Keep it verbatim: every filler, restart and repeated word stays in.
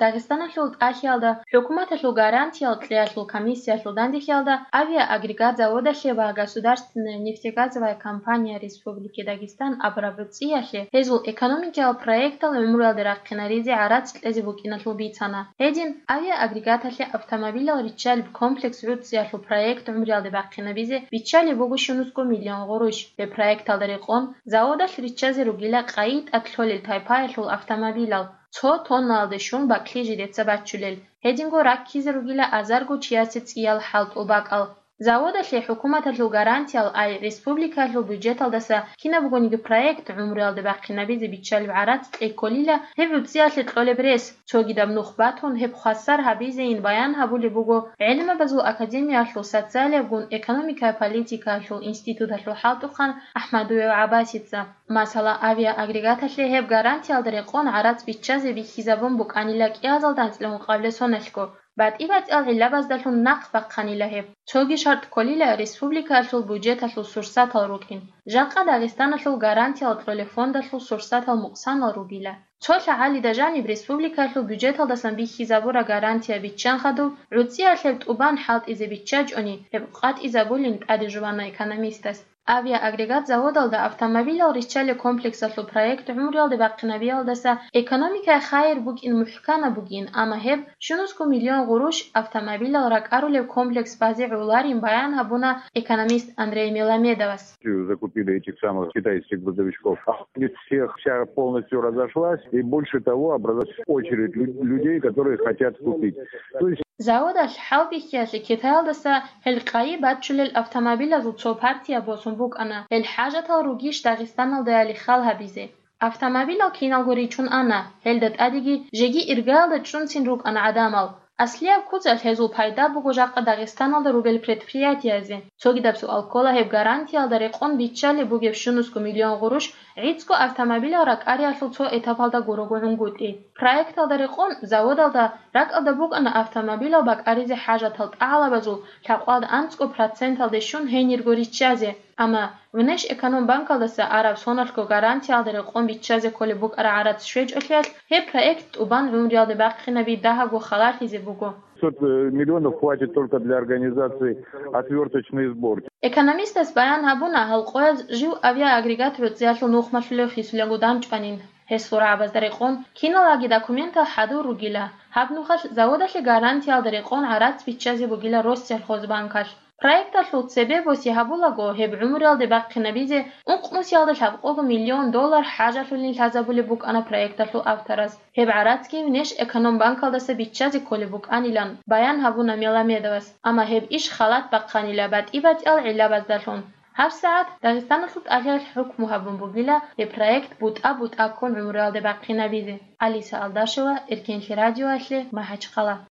Дагъистаналъул тӀахьиялда хӀукуматалъул гарантиял кьеялъул комиссиялъул дандехиялда авиаагрегат заводалъе ва государственная нефтегазовая компания Республики Дагестан абураб гӀуцӀиялъе гьезул экономикиял проектал гӀумруялде рахъинаризе гӀарац кьезе букӀиналъул бицана. Гьедин, авиаагрегаталъе автомобилал риччалеб комплекс гӀуцӀиялъул проект гӀумруялде бахъинабизе биччалеб буго щунусго миллион гъурущ. Гьеб проекталда рекъон заводалъ риччазе ругила къайи тӀад лъолел тайпаялъул автомобилал, цо тоннаялде щун бакӀлъи жидеца баччулел. Гьединго раккизе ругила азарго чиясе цӀиял хӀалтӀул бакӀал. Заводалъе хӀукуматалъул гарантиял ай республикаялъул бюджеталдаса кинаб бугониги проект гӀумруялде бахъинабизе биччалеб гӀарац кьекколила гьеб гӀуцӀиялъе кьолеб рес. Цогидаб нух батун, гьеб хвасар гьабизейин баян гьабулеб буго ГӀелмабазул академиялъул социалиябгун экономикая политикаялъул институталъул хӀалтӀухъан АхӀмадуев ГӀаббасица. Масала, авиаагрегаталъе гьеб гарантиялда рекъон гӀарац биччазе бихьизабун букӀанила кӀиазалда анцӀила ункъабилеб соналъго, батӀи-батӀиял гӀиллабаздалъун нахъ бахъанила гьеб. Цоги шартӀ кколила республикаялъул бюджеталъул сурсатал рукӀин. Жакъа Дагъистаналъул гарантиял кьолеб фондалъул сурсатал мукъсанал ругила. Цо лъагӀалида жаниб республикаялъул бюджеталдасан бихьизабураб гарантия биччан хадуб, гӀуцӀиялъе тӀубан хӀалтӀизе биччачӀони, гьеб къватӀизабулин тӀаде жубана экономистас. Авиаагрегат заводалда автомобилал риччалеб комплексалъул проект гӀумруялде бахъинабиялдаса экономикае хайир букӀин мухӀканаб бугин, амма гьеб щунусго миллион гъурущ автомобилал ракӀарулеб комплекс базе гӀоларин баян гьабуна экономист Андрей Меламедовас. Закупили этих самых китайских грузовичков. А у них всех вся полностью разошлась, и больше того, образовалась очередь лю-, людей, которые хотят купить. То есть Заводалъ хӀалбихьиялъе Китаялдаса гьел къайи баччулел автомобилазул цо партия босун букӀана, гьел хӀажатал ругищ Дагъистаналдаяли хал гьабизе. Автомобилал киналго ричун ана, гьелда тӀадеги жеги иргаялда чӀунцин рукӀана гӀадамал. Аслияб куцалъ гьезул пайда буго жакъа Дагъистаналда ругел предприятиязе. Цогидаб суал ккола гьеб гарантиялда рекъон биччалеб бугеб щунусго миллион гъурущ гӀицӀго автомобилал ракӀариялъул цо этапалда гурого гӀунгутӀи. Проекталда рекъон заводалда ракӀалда букӀана автомобилал бакӀаризе хӀажатал тӀагӀалабазул лъабкъоялда анцӀго проценталде щун гьенирго риччазе. Амма Внешэкономбанкалдаса араб соналъго гарантиялда рекъон биччазе кколеб букӀараб гӀарац щвечӀолъиялъ, гьеб проект тӀубан гӀумруялде бахъинаби дагьабго халалъизе буго. Пятьсот миллионов хватит только для организации отвёрточной сборки. Экономистас баян гьабуна, гьал къояз жив авиаагрегат гӀуцӀиялъул нухмалъулев хисулего данчӀванин. Гьесул рагӀабазда рекъон киналаги документал хӀадур ругила. Гьаб нухалъ заводалъе гарантиялда рекъон гӀарац биччазе бугила Россельхозбанкалъ. Проекталъул цебе боси гьабулаго, гьеб гӀумруялде бахъинабизе ункънусиялда лъабкъого миллион доллар хӀажалъулин лъазабулеб букӀана проекталъул автораз. Гьеб гӀарацги Внешэкономбанкалдаса биччазе кколеб букӀанилан баян гьабуна Меламедовас, амма гьеб иш халат бахъанила батӀи-батӀиял гӀиллабаздалъун. ГьабсагӀат Дагъистаналъул тӀагӀиялъ хӀукму гьабун бугила гьеб проект бутӀа-бутӀа ккун гӀумруялде бахъинабизе. Алиса Алдашева, Эркенлъи радиоялъе, МахӀачхъала.